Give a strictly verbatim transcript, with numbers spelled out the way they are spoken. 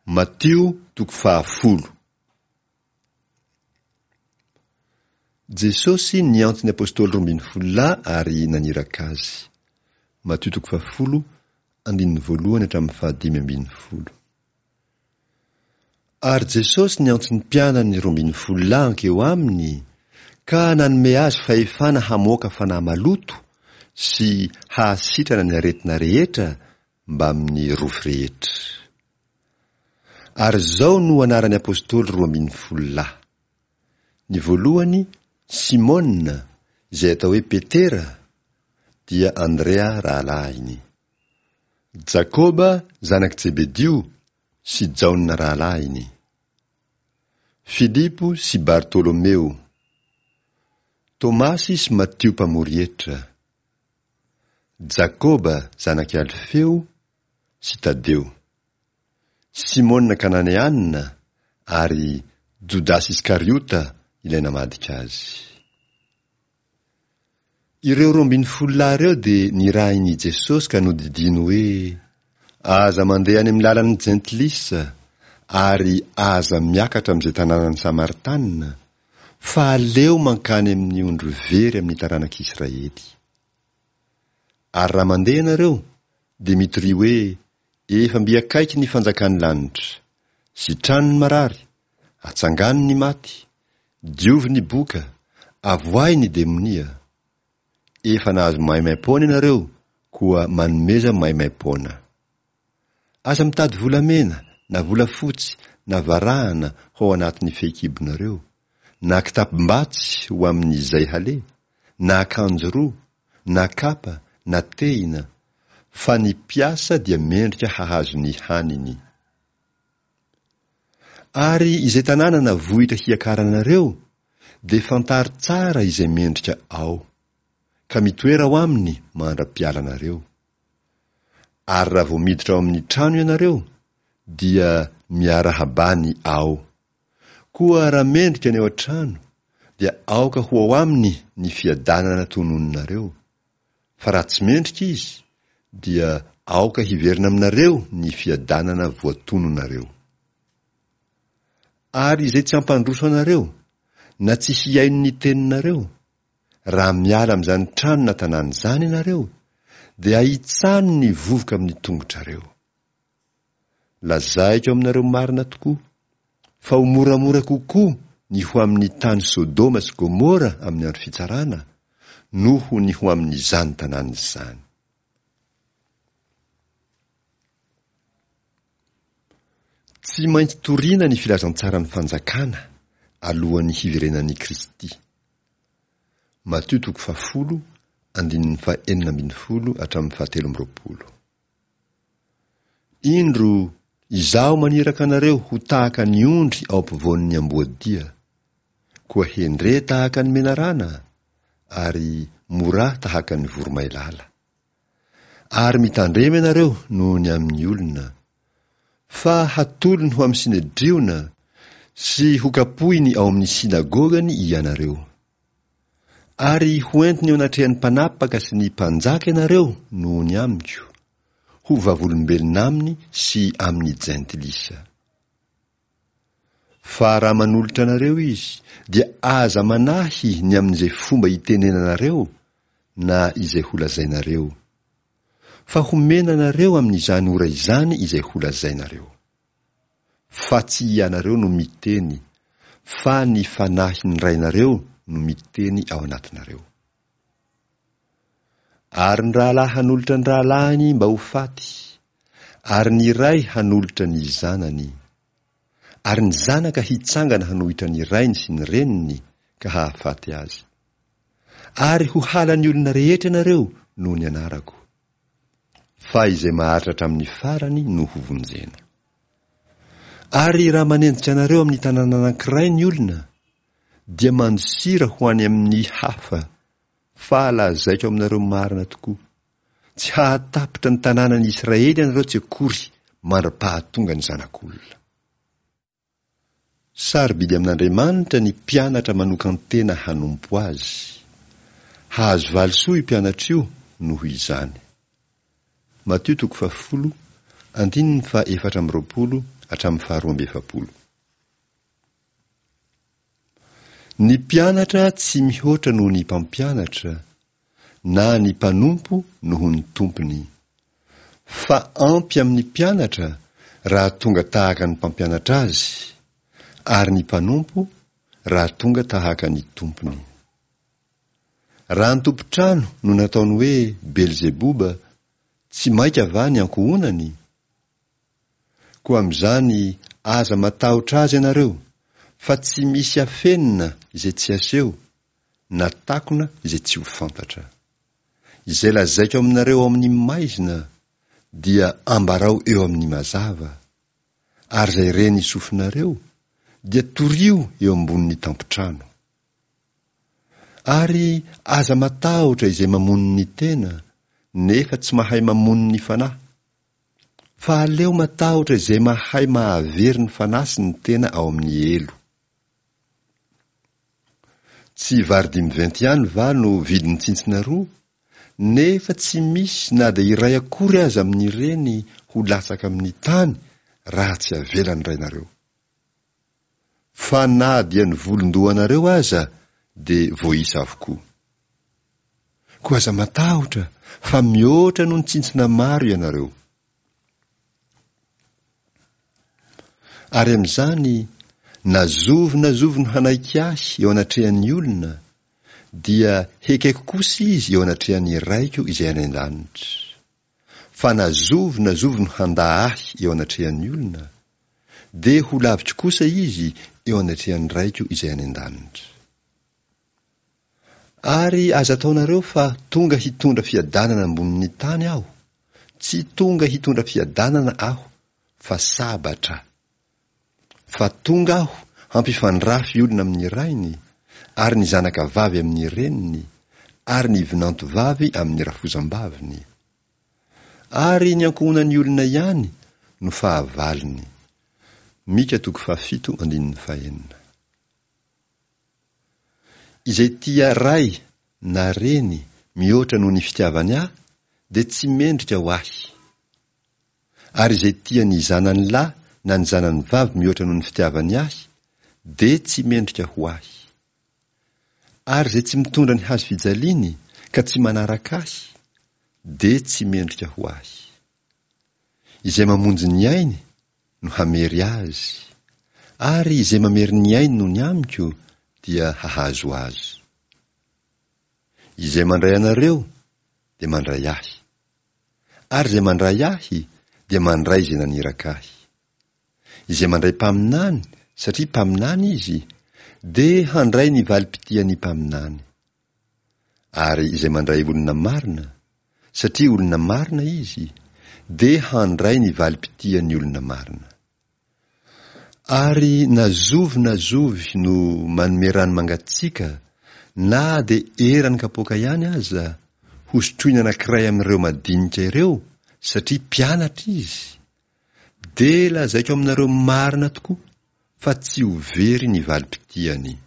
Matio toko fahafolo. Jesosy niantso ny apostoly roa ambin'ny folo lahy ary naniraka azy. Matio toko fahafolo, andininy voalohany hatramin'ny fahadimy ambin'ny folo. Ary Jesosy niantso ny mpianany roa ambin'ny folo lahy hankeo aminy ka nanome azy fahefana hamoaka fanahy maloto sy hahasitrana ny aretina rehetra mbamin'ny rofy rehetra. Ary izao no anaran'ny apostoly roa ambin'ny folo lahy. Ny voalohany, Simona, izay atao hoe Petera, dia Andrea rahalahiny. Jakoba zanak'i Jebedio sy Jaona rahalahiny. Filipo sy Bartolomeo. Tomasy sy Matio mpamory hetra. Jakoba zanak'i Alfeo sy Tadeo. Simona Kananeana ary Jodasy Iskariota ilay namadika azy. Ireo roa ambin'ny folo lahy ireo dia nirahin'i Jesosy ka nodidiany hoe, Aza mandeha any amin'ny lalan'ny jentilisa ary aza miakatra amin'izay tanànan'ny Samaritanina, fa aleo mankany amin'ny ondry very amin'ny taranak'Israely. Ary raha mandeha ianareo, dia mitoria hoe, Efa mby akaiky ny fanjakan'ny lanitra. Sitrano ny marary, atsangano ny maty, diovy ny boka, avoahy ny demonia. Efa nahazo maimaim-poana ianareo, koa manomeza maimaim-poana. Aza mitady volamena, na volafotsy, na varahana ho ao anatin'ny fehikibonareo, na kitapom-batsy ho amin'izay haleha, na akanjo roa, na kapa, na tehina, fa ny mpiasa dia mendrika hahazo ny haniny. Ary izay tanàna na vohitra hiakaranareo, dia fantaro tsara izay mendrika ao, ka mitoera ao aminy mandra-pialanareo. Ary raha vao miditra ao amin'ny trano ianareo, dia miarahabà ny ao. Koa raha mendrika ny ao an-trano, dia aoka ho ao aminy ny fiadanana tononinareo. Fa raha tsy mendrika izy, dia aoka hiverina aminareo ny fiadanana voatononareo. Ary izay tsy hampandroso anareo, na tsy hihaino ny teninareo, raha miala amin'izany trano na tanàna izany ianareo, dia ahitsano ny vovoka amin'ny tongotrareo. Lazaiko aminareo marina tokoa, fa ho moramora kokoa ny ho amin'ny tany Sodoma sy Gomora amin'ny andro fitsarana, noho ny ho amin'izany tanàna izany. Tsy maintsy toriana ny filazantsaran'ny fanjakana alohan'ny hiverenan'i Kristy. Matio toko fahafolo, andininy fahenina ambin'ny folo hatramin'ny fahatelo amby roapolo. Indro, izaho maniraka anareo ho tahaka ny ondry ao ampovoan'ny amboadia. Koa hendre tahaka ny menarana, ary morà tahaka ny voromailala. Ary mitandrema ianareo noho ny amin'ny olona, fa hatolony ho amin'ny synedriona sy hokapohiny ao amin'ny synagogany ianareo. Ary hoentiny eo anatrehan'ny mpanapaka sy ny mpanjaka ianareo noho ny amiko, ho vavolombelona aminy sy amin'ny jentilisa. Fa raha manolotra anareo izy, dia aza manahy ny amin'izay fomba hitenenanareo na izay holazainareo. Fa homena anareo amin'izany ora izany izay holazainareo. Fa tsy ianareo no miteny, fa ny fanahin'ny Rainareo no miteny ao anatinareo. Ary ny rahalahy hanolotra ny rahalahiny mba ho faty, ary ny ray hanolotra ny zanany. Ary ny zanaka hitsangana hanohitra ny rainy sy ny reniny ka hahafaty azy. Ary ho halan'ny olona rehetra ianareo noho ny anarako. Fa izay maharitra hatramin'ny farany no hovonjena. Ary raha manenjika anareo amin'ny tanàna anankiray ny olona, dia mandosira ho any amin'ny hafa, fa lazaiko aminareo marina tokoa, tsy hahatapitra ny tanànan'i Israely ianareo tsy akory mandra-pahatonga ny Zanak'olona. Sarobidy amin'Andriamanitra ny mpianatra manokan-tena hanompo azy. Hahazo valisoa io mpianatra io noho izany. Matio toko fahafolo, andininy faha efatra amby roapolo hatramin'ny faharoa amby efapolo. Ny mpianatra tsy mihoatra noho ny mpampianatra, na ny mpanompo noho ny tompony. Fa ampy amin'ny mpianatra raha tonga tahaka ny mpampianatra azy, ary ny mpanompo raha tonga tahaka ny tompony. Raha ny tompon-trano no nataony hoe Belzeboba, tsy mainka va ny ankohonany? Koa amin'izany aza matahotra azy ianareo, fa tsy misy afenina izay tsy aseho, na takona izay tsy ho fantatra. Izay lazaiko aminareo ao amin'ny maizina, dia ambarao eo amin'ny mazava, ary izay ren'ny sofinareo, dia torio eo ambonin'ny tampon-trano. Ary aza matahotra izay mamono ny tena, nefa tsy mahay mamono ny fanahy. Fa aleo matahotra izay mahay mahavery ny fanahy sy ny tena ao amin'ny helo. Tsy vary dimy venty ihany va no vidin'ny tsintsina roa, nefa tsy misy na dia iray akory aza amin'ireny ho latsaka amin'ny tany raha tsy avelan'ny Rainareo. Fa na dia ny volon-dohanareo aza dia voaisa avokoa. Koa aza matahotra fa mihoatra noho ny tsintsina maro ianareo. Ary amin'izany, na zovy na zovy no hanaiky ahy eo anatrehan'ny olona, dia hekeko kosa izy eo anatrehan'ny Raiko izay any an-danitra. Fa na zovy na zovy no handà ahy eo anatrehan'ny olona, dia ho laviko kosa izy eo anatrehan'ny Raiko izay any an-danitra. Ary aza ataonareo fa tonga hitondra fiadanana ambonin'ny tany aho, tsy tonga hitondra fiadanana aho, fa sabatra. Fa tonga aho hampifandrafy olona amin'ny rainy, ary ny zanaka vavy amin'ny reniny, ary ny vinanto vavy amin'ny rafozam-baviny. Ary ny ankohonan'ny olona ihany no fahavalony. Mika toko fahafito andininy fahenina. Izay tia ray na reny mihoatra noho ny fitiavany ahy dia tsy mendrika ho ahy. Ary izay tia ny zanany lahy na ny zanany vavy mihoatra noho ny fitiavany ahy dia tsy mendrika ho ahy. Ary izay tsy mitondra ny hazo fijaliany ka tsy manaraka ahy dia tsy mendrika ho ahy. Izay mamonjy ny ainy no hamery azy, ary izay mamery ny ainy noho ny amiko dia hahazo azy. Izay mandray anareo dia mandray ahy, ary izay mandray ahy dia mandray izay naniraka ahy. Izay mandray mpaminany satria mpaminany izy, dia handray ny valim-pitian'ny mpaminany. Ary izay mandray olona marina, satria olona marina izy, dia handray ny valim-pitian'ny olona marina. Ary na zovy na zovy no manome rano mangatsiaka na dia eran'ny kapoaka ihany aza, hosotroiny anankiray amin'ireo madinika ireo satria mpianatra izy, dia lazaiko aminareo marina tokoa fa tsy ho very ny valim-pitiany.